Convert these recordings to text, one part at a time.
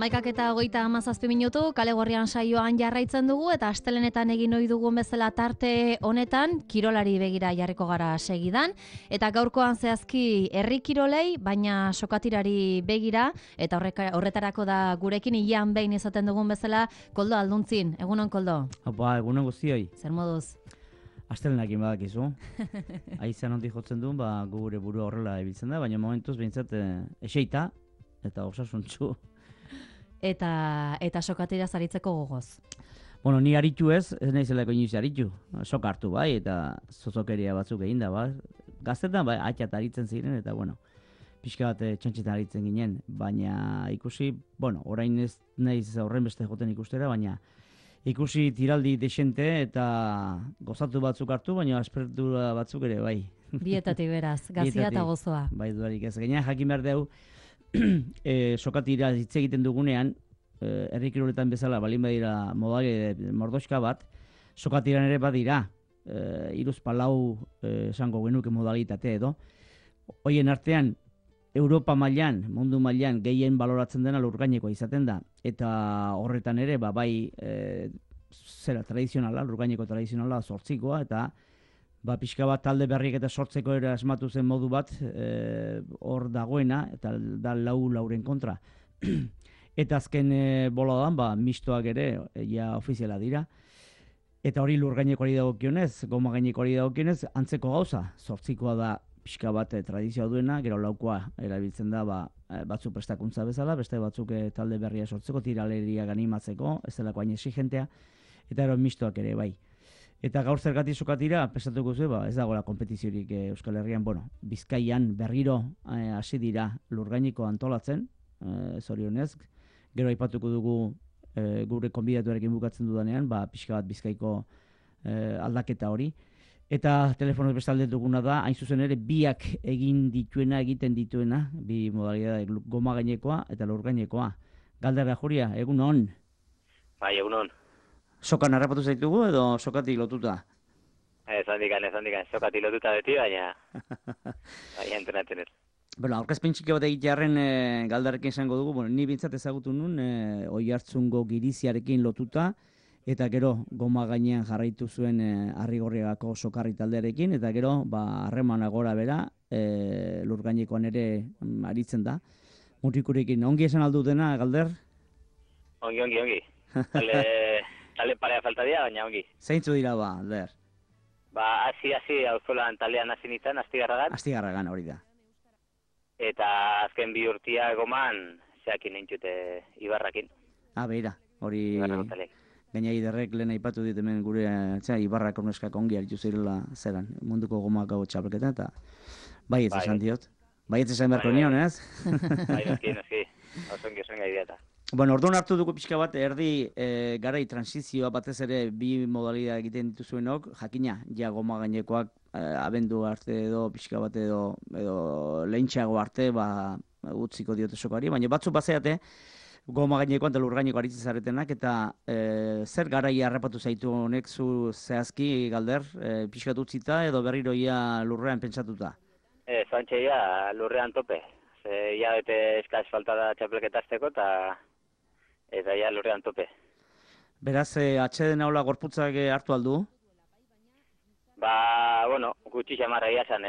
11:27 kale gorrian saioan jarraitzen dugu eta astelenetan egin ohi dugun bezala tarte honetan kirolari begira jarriko gara segidan eta gaurkoan zehazki herri kirolei baina sokatirari begira eta horretarako da gurekin ilean behin izaten dugun bezala Koldo Alduntzin. Egunon Koldo. Opa, egunon guztioi. Zer moduz? Astelenekin badakizu. Aizan ondik jotzen duen, gure burua horrela ibiltzen da, baina momentuz behintzat eseita eta osasuntzu. Eta sokatira zaritzeko gogoz. Bueno, ni aritu ez naizelako inoiz aritu. Sok hartu bai, eta zozokeria batzuk egin da, Gaztetan bai, atxat aritzen ziren, eta bueno, pixka bat txantxetan aritzen ginen, baina ikusi, orain ez naiz horren beste joten ikustera, baina ikusi tiraldi desente eta gozatu batzuk hartu, baina aspertura batzuk ere bai. Bietatik beraz, gazia eta gozoa. Bai, dudarik ez. Gaina jakin behar dugu, sokatira hitz egiten dugunean, herri kiroletan bezala, balin badira mordoxka bat, sokatiran ere badira, 3-4 esango genuke modalitate edo. Hoien artean, Europa mailan, mundu mailan, gehien baloratzen dena lurgainekoa izaten da. Eta horretan ere, tradizionala, lurgaineko tradizionala, zortzikoa, eta pixka bat talde berriek eta sortzeko ere asmatu zen modu bat hor dagoena, eta da lauren kontra. Eta azken boladan, mistoak ere, ja ofiziala dira. Eta hori lurgainekoari dagokionez, goma gainekoari dagokionez, antzeko gauza, zortzikoa da pixka bat tradizioa duena, gero laukoa erabiltzen da batzuk prestakuntza bezala, beste batzuk talde berria sortzeko, tiraleria ganimatzeko, ez delako hain exigentea, eta ero mistoak ere bai. Eta gaur zergatik sokatira, pesatuko zu, ez dagoela kompetiziorik Euskal Herrian, Bizkaian berriro hasi dira lurgaineko antolatzen, zorionez, gero aipatuko dugu gure konbidatuarekin bukatzen dudanean, pixka bat Bizkaiko aldaketa hori. Eta telefonoz bestalde duguna da, hain zuzen ere, biak egiten dituena, bi modalidade, goma gainekoa eta lurgainekoa. Galdera Juria, egun on? Bai, egun on. Sokan harrapatu zaitugu edo sokatik lotuta? Ez handikan, sokatik lotuta beti, baina entrenatzen ez. Aurkezpen txiki bat egitearen galdarekin esango dugu, ni bintzat ezagutu nun, Oiartzungo giriziarekin lotuta, eta gero goma gainean jarraitu zuen Arrigorriagako sokarri taldearekin, eta gero harremana gora bera lurgainekoan ere aritzen da. Mutikurekin, ongi esan aldutena, Galder? Ongi. Tale parea falta dira, baina ongi. Zeintzu dira Galder? Hasi auzolan talean hasi nintzen, Astigarragan. Astigarragan hori da. Eta azken 2 urtia goman zeakin nintzute Ibarrakin. Beira, hori... Gaina iderrek lehen aipatu dit hemen gure Ibarrak orneskak ongi aritu zirela zeran, munduko gomakau txapelketan, eta baietz esan diot. Baietz esan beharko nion, ez? Bai, noski, osongi ideata. Orduan hartu dugu pixka bat, erdi garai transizioa batez ere bi modalidad egiten dituzuenok, jakina, goma gainekoak abendu arte edo pixka bat edo lehentxeago arte utziko diote sokari, baina batzuk bazeate, goma gainekoan eta lurgaineko aritzen zaretenak, eta zer garai harrapatu zaitu honek zu zehazki, Galder, pixkat utzita edo berriroia lurrean pentsatuta? Zantxeia lurrean tope. Ia bete eskaz falta da txapelketazteko eta ja lurrean tope. Beraz, atxeden haula gorputzak hartu aldu? Gutxi xamarra iasan.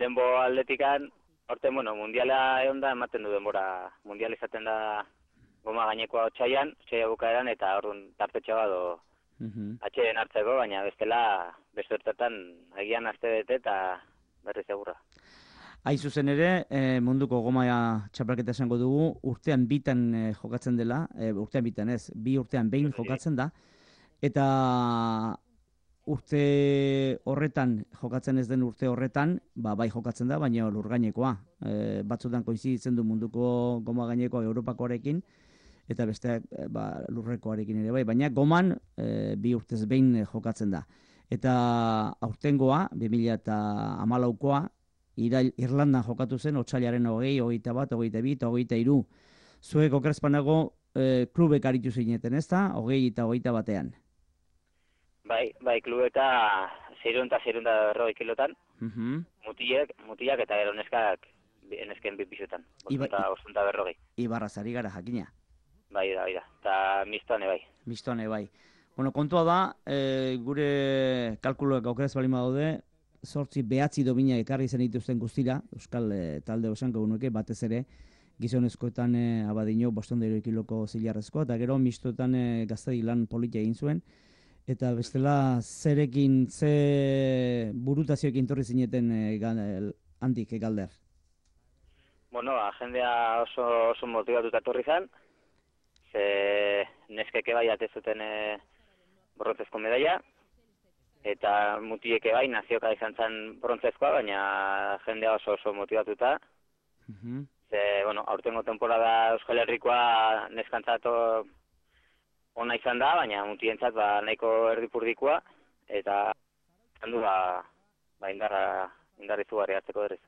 Denbo atletikan, horten, mundiala egon da, ematen du denbora. Mundial izaten da goma gainekoa otxaian bukaeran, eta orduan tartetxe bat atxeden hartzeko, baina bestela, beste hortetan, agian aste bete eta berri segurra. Hain zuzen ere, munduko goma txapelketa esango dugu, urtean bitan jokatzen dela, urtean bitan ez, 2 urtean behin jokatzen da, eta urte horretan, jokatzen ez den urte horretan, bai jokatzen da, baina lurgainekoa. Batzutan koinziditzen du munduko goma gainekoa Europakoarekin, eta beste lurrekoarekin ere bai, baina goman 2 urtez behin jokatzen da. Eta aurtengoa, 2014koa, Irlandan jokatu zen, otsailaren 20, 21, 22 eta 23. Zuek okerrezpanago klubek aritu zineten, ez da? 20 eta 21. Bai, klubeka 600 kilotan, mutilak eta gero neskak nesken bipisutan, Iba- 540. Ibarraz ari gara jakina. Bai da, eta mistoan bai. Mistoan bai. Bueno, kontua da, gure kalkuloak aukeraz balima daude, 8-9 domina ekarri zen dituzten guztira, Euskal talde osanko gunuke, batez ere, gizonezkoetan abadino 500 kiloko zilarrezko, eta gero mistoetan gaztedi lan politia egin zuen, eta bestela zerekin, ze burutazioekin torri zineten handik Galder. Bueno, jendea oso motivatuta etorri zen, ze neskeke bai atezuten brontzezko medaia, eta mutieke bai nazioka izan zen brontzezkoa, baina jendea oso motivatuta. Ze, bueno, aurtengo temporada Euskal Herrikoa neskantzat ona izan da, baina mutientzat nahiko erdipurdikoa, eta izan du indarri zugarri hartzeko berriz.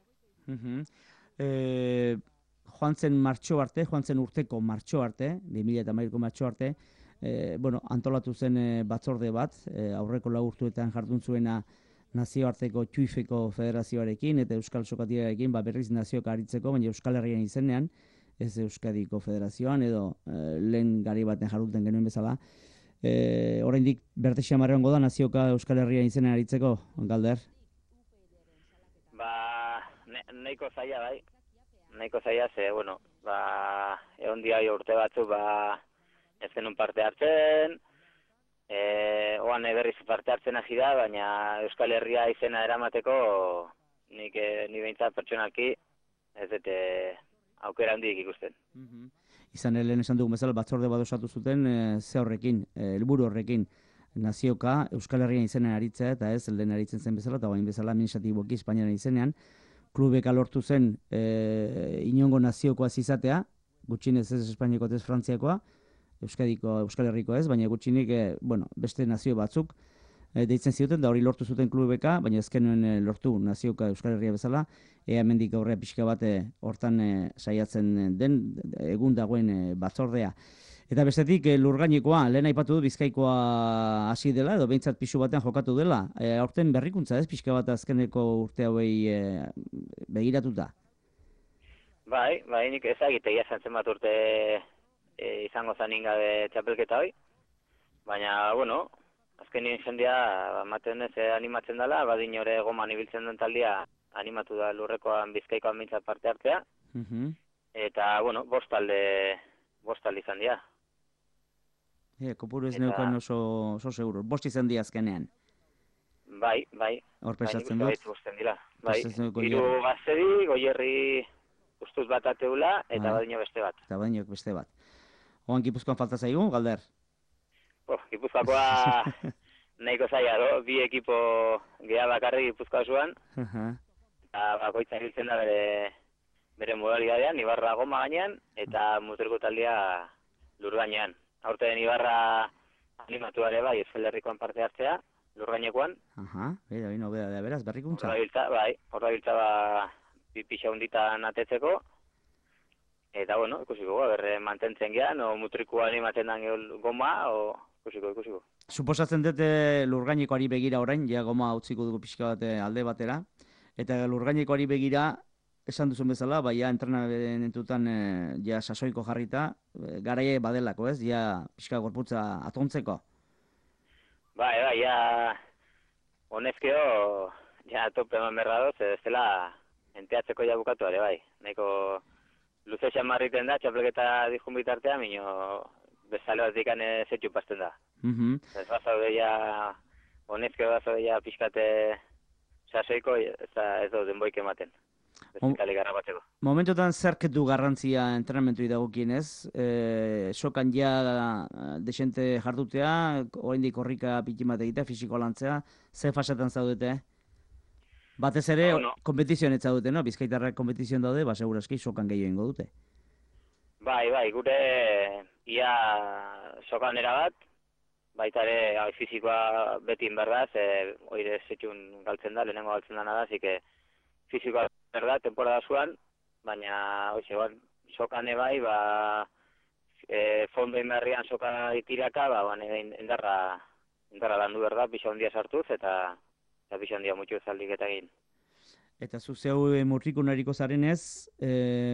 Joan zen urteko martxo arte, 2013ko martxo arte, antolatu zen batzorde bat, aurreko 4 urteetan jardun zuena nazioarteko Txuifeko federazioarekin eta Euskal Sokatirarekin, berriz nazioka aritzeko, baina Euskal Herrian izenean, ez Euskadiko federazioan edo lehen gari baten jarduten genuen bezala. Oraindik bertexia marreongo da nazioka Euskal Herrian izenean aritzeko, Galder? Nahiko zaila bai. Nahiko zaila, ze, egon dia urte batzu, ez genuen parte hartzen, oan berriz parte hartzen hasi da, baina Euskal Herria izena eramateko ni behintzat pertsonalki ez dute aukera handik ikusten. Izan lehen esan dugun bezala, batzorde bat osatu zuten ze horrekin, helburu horrekin, nazioka Euskal Herrian izenean aritzea, eta ez lehen aritzen zen bezala, eta bain bezala administratiboki Espainiaren izenean, klubeka lortu zen inongo naziokoa izatea, gutxinez ez Espainiako ez Frantziakoa, Euskal Herriko ez, baina gutxinik beste nazio batzuk deitzen zioten, da hori lortu zuten klubeka, baina ezkenuen lortu nazioka Euskal Herria bezala, hemendik aurrea pixka bat hortan saiatzen den egun dagoen batzordea. Eta bestetik lurgainekoa, lehen aipatu du Bizkaikoa hasi dela, edo behintzat pisu batean jokatu dela. Aurten berrikuntza ez, pixka bat azkeneko urte hauei begiratuta? Bai, nik ezagitea zentzen bat urte izango zanin gabe txapelketa hoi. Baina, azkenien jendea ematen ez animatzen dela, badin ore goman ibiltzen den taldia animatu da lurrekoan Bizkaikoan mintzat parte hartzea. Eta, 5 talde izan dira. Kopuru ez neukan oso seguro. 5 izan dira azkenean. Bai. Hor pesatzen dut. Bai, 3 Gaztedi, Goierri ustuz bat ateula, eta badino beste bat. Eta badino beste bat. Oan Gipuzkoan falta zaigu, Galder? Gipuzkoakoa nahiko zaila, 2 ekipo geha bakarrik Gipuzkoa zuan, eta bakoitza hiltzen da bere modalidadean, Ibarra goma gainean, eta muturko taldea lur gainean. Aurten Ibarra animatu ere bai, Euskal Herrikoan parte hartzea, lur gainekoan. Beraz, berrikuntza. Hor da biltza pixa hunditan atetzeko, eta ikusiko, berre mantentzen gehan, o mutrikoa animatzen den goma, o ikusiko. Suposatzen dute lurgainekoari begira orain, ja goma utziko dugu pixka bat alde batera, eta lurgainekoari begira, esan duzun bezala, ja entrenamentutan ja sasoiko jarrita, garaie badelako ez, ja pixka gorputza atontzeko. Bai, ja honezkeo, ja tope eman berra doz, ez dela enteatzeko ja bukatu ere, bai. Nahiko luze xamarriten da, txapelketa dizkun bitartea, minio bezale bat dikan zetxu pasten da. Ez bazaude ja, honezkeo bazaude ja pixkate sasoiko, ez da denboik ematen. Momentotan zerket du garrantzia entrenamentu dagokienez, sokan ja desente jardutea, oraindik korrika pikimat egitea, fisiko lantzea, ze fasetan zaudete? Batez ere, kompetizioan ez zaudete, no? Bizkaitarrak kompetizioan daude, seguraski sokan gehiago ingo dute. Bai, gure ia sokan erabat, baita ere fisikoa beti inberdaz, oire zetxun galtzen da, lehenengo galtzen dana da, zike fisikoa berda, temporada zuan, baina sokan ebai, fondo inberrian soka itiraka, indarra landu berda, pixa hondia sartuz, eta pixa hondia mutxu zaldik eta egin. Eta zu zeu Mutrikun ariko zarenez,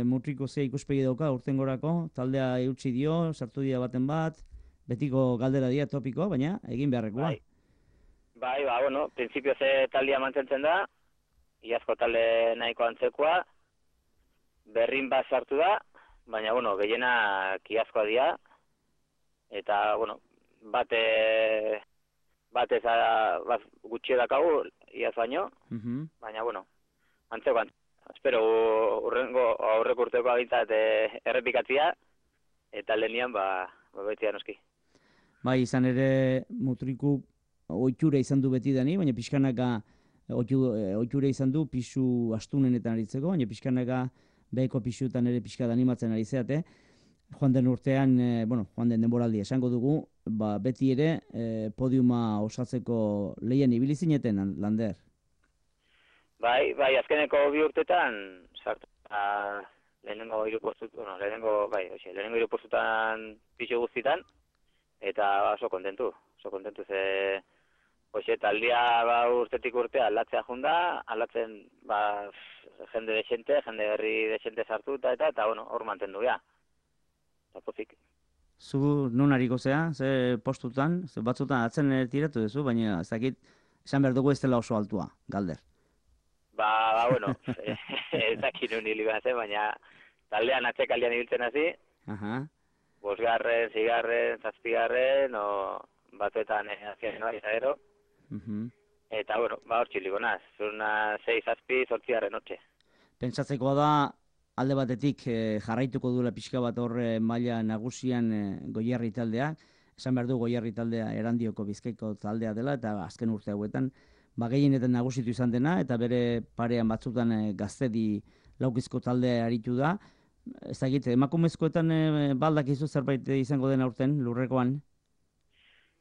Mutriko ze ikuspegi dauka urtengorako, taldea eutsi dio, sartu dira baten bat, betiko galdera dira topiko, baina egin beharrekoa. Bai, bueno, prinsipio ze taldia mantentzen da, iazko talde nahiko antzekoa, berrin bat sartu da, baina, bueno, gehiena iazkoa dira, eta, bueno, bat gutxio dakagu, iaz baino, baina, bueno, antzekoan. Espero aurreko urteko agintzat errepikatzia, eta lehenian, betzia noski. Bai, izan ere Mutriku ohitura izan du beti dani, baina pixkanaka ohitura izan du pisu astunenetan aritzeko, baina pixkanaka beheko pisutan ere pixka animatzen ari zeate. Joan den urtean, joan den denboraldi esango dugu, beti ere podiuma osatzeko lehien ibili zineten, Lander. Bai, azkeneko 2 urtetan sartu. Lehenengo 3 postutan, lehenengo 3 postutan pisu guztitan, eta oso kontentu ze taldia urtetik urtea aldatzea junda, aldatzen jende desente, jende berri desente sartuta eta bueno, hor mantendu ja. Eta pozik. Zu non hariko zea, ze postutan, ze batzutan atzen tiratu duzu, baina ez dakit esan behar dugu ez dela oso altua, Galder. Bueno, ez dakit nun hili behar zen, baina taldean atxekaldian ibiltzen hasi, 5., 6., 7., batzuetan azien noa izagero, eta, bueno, hor txiliko naz, zurna 6, 7, 8 notxe. Pentsatzekoa da, alde batetik jarraituko duela pixka bat horre maila nagusian Goierri taldea, esan behar du Goierri taldea Erandioko Bizkaiko taldea dela, eta azken urte hauetan, gehienetan nagusitu izan dena, eta bere parean batzutan Gaztedi laukizko taldea aritu da. Ez dakit, emakumezkoetan baldakizu zerbait izango den aurten, lurrekoan?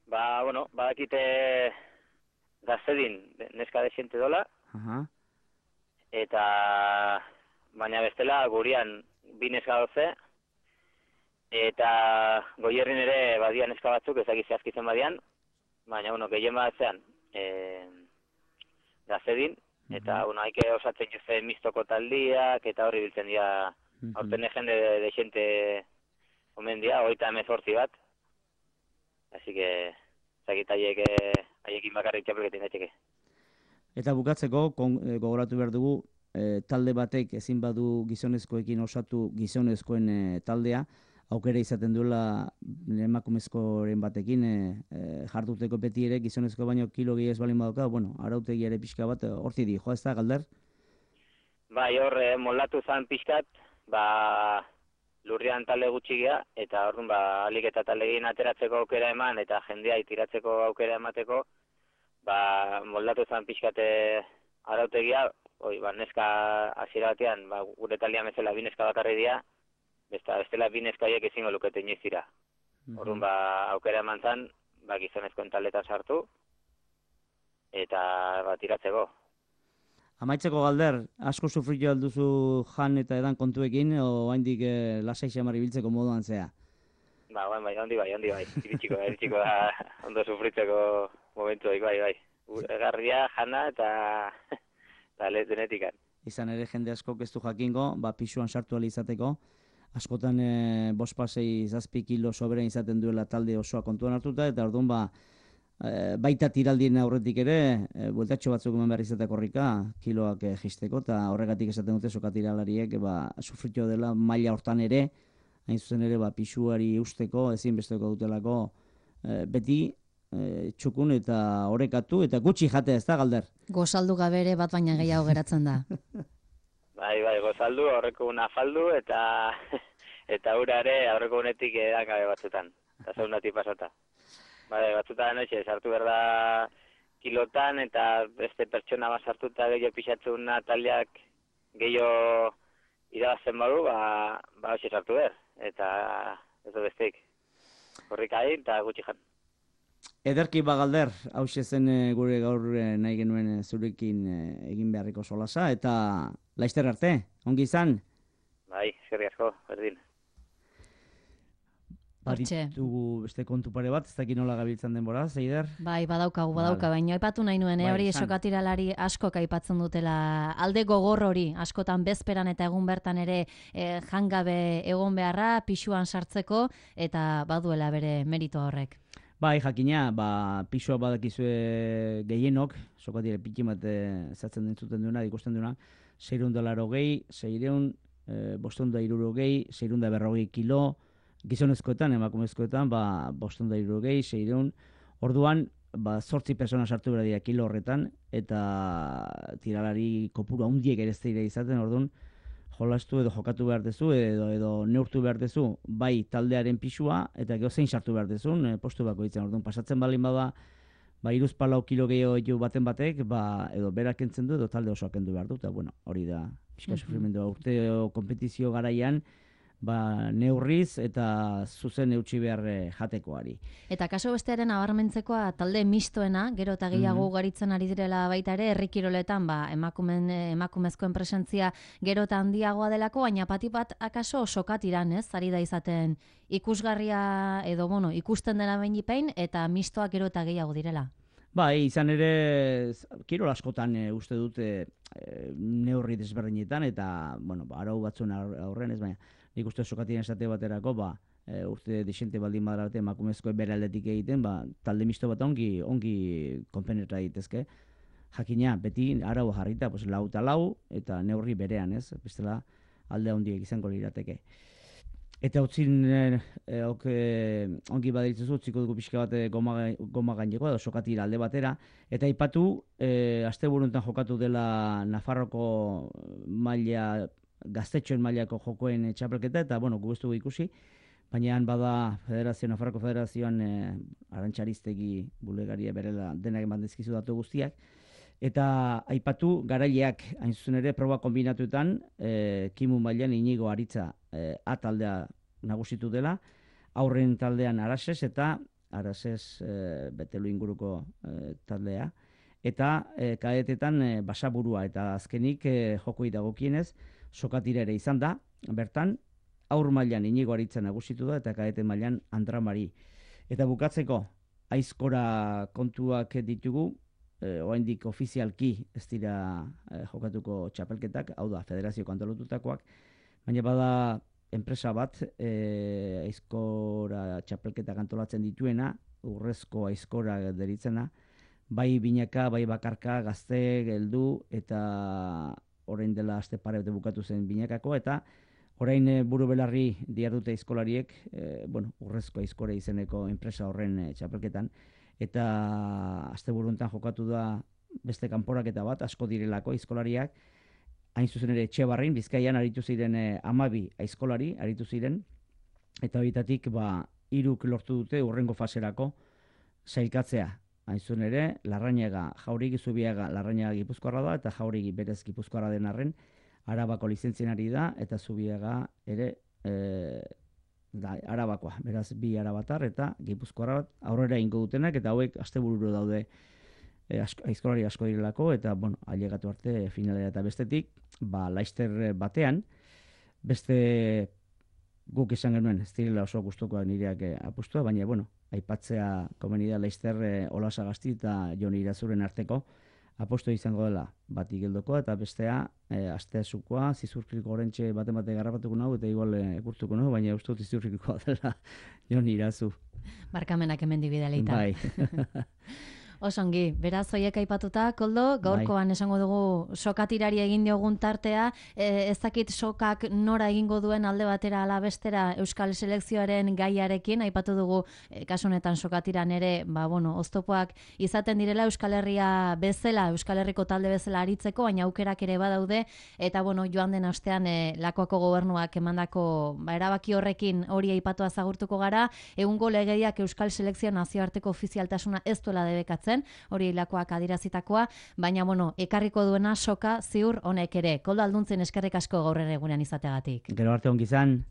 Bueno, badakite Gaztedin neska desente dola, eta baina bestela gurian 2 neska doze, eta Goierrin ere badian neska batzuk, ezagit zehazkitzen badian, baina, bueno, gehien batzean Gaztedin, eta, bueno, haike osatzen juze mistoko taldiak, eta horri biltzen dira, aurten jende desente omen dira, 38 bat, así que, ezagit haiekin bakarrik txapelketin daiteke. Eta bukatzeko, gogoratu behar dugu, talde batek ezin badu gizonezkoekin osatu gizonezkoen taldea, aukera izaten duela emakumezkoren batekin jarduteko beti ere gizonezko baino kilo gehi ez balin badoka, arautegi ere pixka bat horti di, joa ez da, Galder? Bai, hor moldatu zan pixkat, lurrian talde gutxigia, eta orduan alik eta taldegin ateratzeko aukera eman, eta jendea itiratzeko aukera emateko, moldatu zan pixkat arautegia, neska hasiera batean, gure taldean bezala 2 neska bakarri dira, bestela 2 neskaiek ezingo lukete inoiz dira. Orduan aukera eman zan, gizonezkoen taldetan sartu, eta tiratzeko. Amaitzeko, Galder, asko sufritu alduzu jan eta edan kontuekin, o haindik lasai xamar ibiltzeko moduan zea? Handi bai. Iritsiko da ondo sufritzeko momentu, bai. Garria, jana eta denetikan. Izan ere jende asko ez du jakingo, pisuan sartu ahal izateko, askotan 5-6 kilo sobera izaten duela talde osoa kontuan hartuta, eta orduan baita tiraldien aurretik ere, bueltatxo batzuk eman behar izateko horrika, kiloak jisteko, eta horregatik esaten dute soka tiralariek sufritu dela maila hortan ere, hain zuzen ere pisuari usteko, ezinbesteko dutelako beti txukun eta orekatu, eta gutxi jatea, ez da, Galder? Gozaldu gabe ere bat baina gehiago geratzen da. Bai, gozaldu, aurreko una faldu, eta ura ere aurreko unetik edakabe batzutan, eta zaunatik pasata. Batzutan sartu behar da kilotan, eta beste pertsona bat sartuta gehiago pixatzuna taldeak gehiago irabazten badu, hoxe sartu behar, eta ez du besteik. Horrik hain, eta gutxi jan. Ederki Galder, hauxe zen gure gaur nahi genuen zurekin egin beharriko solasa, eta laizter arte, ongi izan? Bai, eskerrik asko, berdin. Baditugu beste kontu pare bat, ez dakit nola gabiltzan denbora, Zeider? Bai, badaukagu, baina aipatu nahi nuen, hori sokatiralari askok aipatzen dutela, alde gogor hori, askotan bezperan eta egun bertan ere jangabe egon beharra, pisuan sartzeko, eta baduela bere merito horrek. Bai, jakina, pisua badakizue gehienok, sokatire pikin bat zatzen dintzuten duena, ikusten duena, $600, 600, 560, 640 kilo, gizonezkoetan, emakumezkoetan, 560, 600, orduan, 8 persona sartu behar dira kilo horretan, eta tiralari kopuru handiek ere ez dira izaten, orduan, jolastu edo jokatu behar dezu, edo neurtu behar dezu, bai taldearen pisua, eta gero zein sartu behar dezun, postu bako ditzen, orduan, pasatzen balin bada, 3-4 kilo gehiago baten batek, edo berak entzen du, edo talde osoak kendu behar du, eta bueno, hori da, pixka sufrimendua urteo kompetizio garaian, neurriz eta zuzen eutxi behar jatekoari. Eta kaso bestearen abarmentzekoa talde mistoena, gero eta gehiago garitzen ari direla baita ere, herri kiroletan emakumezkoen presentzia gero eta handiagoa delako, baina pati bat akaso sokatiran, ez? Ari da izaten ikusgarria edo, ikusten dena behin eta mistoak gero eta gehiago direla. Bai, izan ere, kirol askotan uste dute neurri desberdinetan, eta, arau batzuen aurren ez, baina nik uste sokatien esate baterako, urte desente baldin badara bate emakumezkoen bere aldetik egiten, talde misto bat ongi konpenetra ditezke. Jakina, beti arau jarrita, lau eta lau, eta neurri berean, ez? Bestela alde handiek izango lirateke. Eta utzin ongi badaritzuzu, utziko dugu pixka bat goma gaineko, edo sokatira alde batera, eta aipatu, asteburuntan jokatu dela Nafarroko maila, gaztetxoen mailako jokoen txapelketa, eta, gu ez dugu ikusi, baina bada Nafarroko Federazioan Arantxariztegi bulegaria berela denak eman dizkizu datu guztiak, eta aipatu garaileak hain zuzen ere proba kombinatuetan, Kimu mailan Inigo Aritza A taldea nagusitu dela, aurren taldean Arases eta Arases Betelu inguruko taldea, eta kadetetan Basaburua, eta azkenik jokoi dagokienez, sokatira ere izan da, bertan, aur mailan Inigo Aritza nagusitu da, eta kadete mailan Andra Mari. Eta bukatzeko, aizkora kontuak ditugu, oraindik ofizialki ez dira jokatuko txapelketak, hau da, federazio antolatutakoak, baina bada enpresa bat, aizkora txapelketak antolatzen dituena, urrezko aizkora deritzena, bai binaka, bai bakarka, gazte, geldu, eta orain dela aste pare bete bukatu zen binakako, eta orain buru belarri diardute aizkolariek, urrezko aizkora izeneko enpresa horren txapelketan, eta asteburuntan jokatu da beste kanporaketa bat, asko direlako aizkolariak, hain zuzen ere Etxebarrin, Bizkaian aritu ziren 12 aizkolari aritu ziren, eta horietatik 3 lortu dute hurrengo faserako sailkatzea. Hain zuzen ere, Larrañaga, Jauregi Zubiaga, Larrañaga Gipuzkoarra da, eta Jauregi berez Gipuzkoarra den arren, Arabako lizentzienari da, eta Zubiaga ere Arabakoa, beraz 2 arabatar eta Gipuzkoarra bat aurrera ingo dutenak, eta hauek astebururo daude aizkolari asko direlako, eta ailegatu arte finalera, eta bestetik, Laister batean, beste guk izan genuen, ez direla oso gustukoak nireak apustua, baina, aipatzea komeni da Laister Olasagasti eta Jon Irazuren arteko aposto izango dela bat igeldoko, eta bestea asteazukoa, Zizurkiko orentxe baten garrapatuko nahu, eta igual ekurtuko nahu, baina uste dut Zizurkikoa dela Jon Irazu. Barkamenak hemen dibideleita. Bai. Osongi, beraz hoiek aipatuta, Koldo, gaurkoan esango dugu sokatirari egin diogun tartea, ez dakit sokak nora egingo duen alde batera ala bestera Euskal Selekzioaren gaiarekin, aipatu dugu kasu honetan sokatiran ere, oztopoak izaten direla Euskal Herria bezala, Euskal Herriko talde bezala aritzeko, baina aukerak ere badaude, eta joan den astean Lakuako gobernuak emandako erabaki horrekin hori aipatua zagurtuko gara, egungo legediak Euskal Selekzio nazioarteko ofizialtasuna ez duela debekatzen, hori Lakuak adirazitakoa, baina ekarriko duena soka ziur honek ere. Koldo Alduntzen eskerrik asko gaur ere egunean izateagatik. Gero arte ongi izan.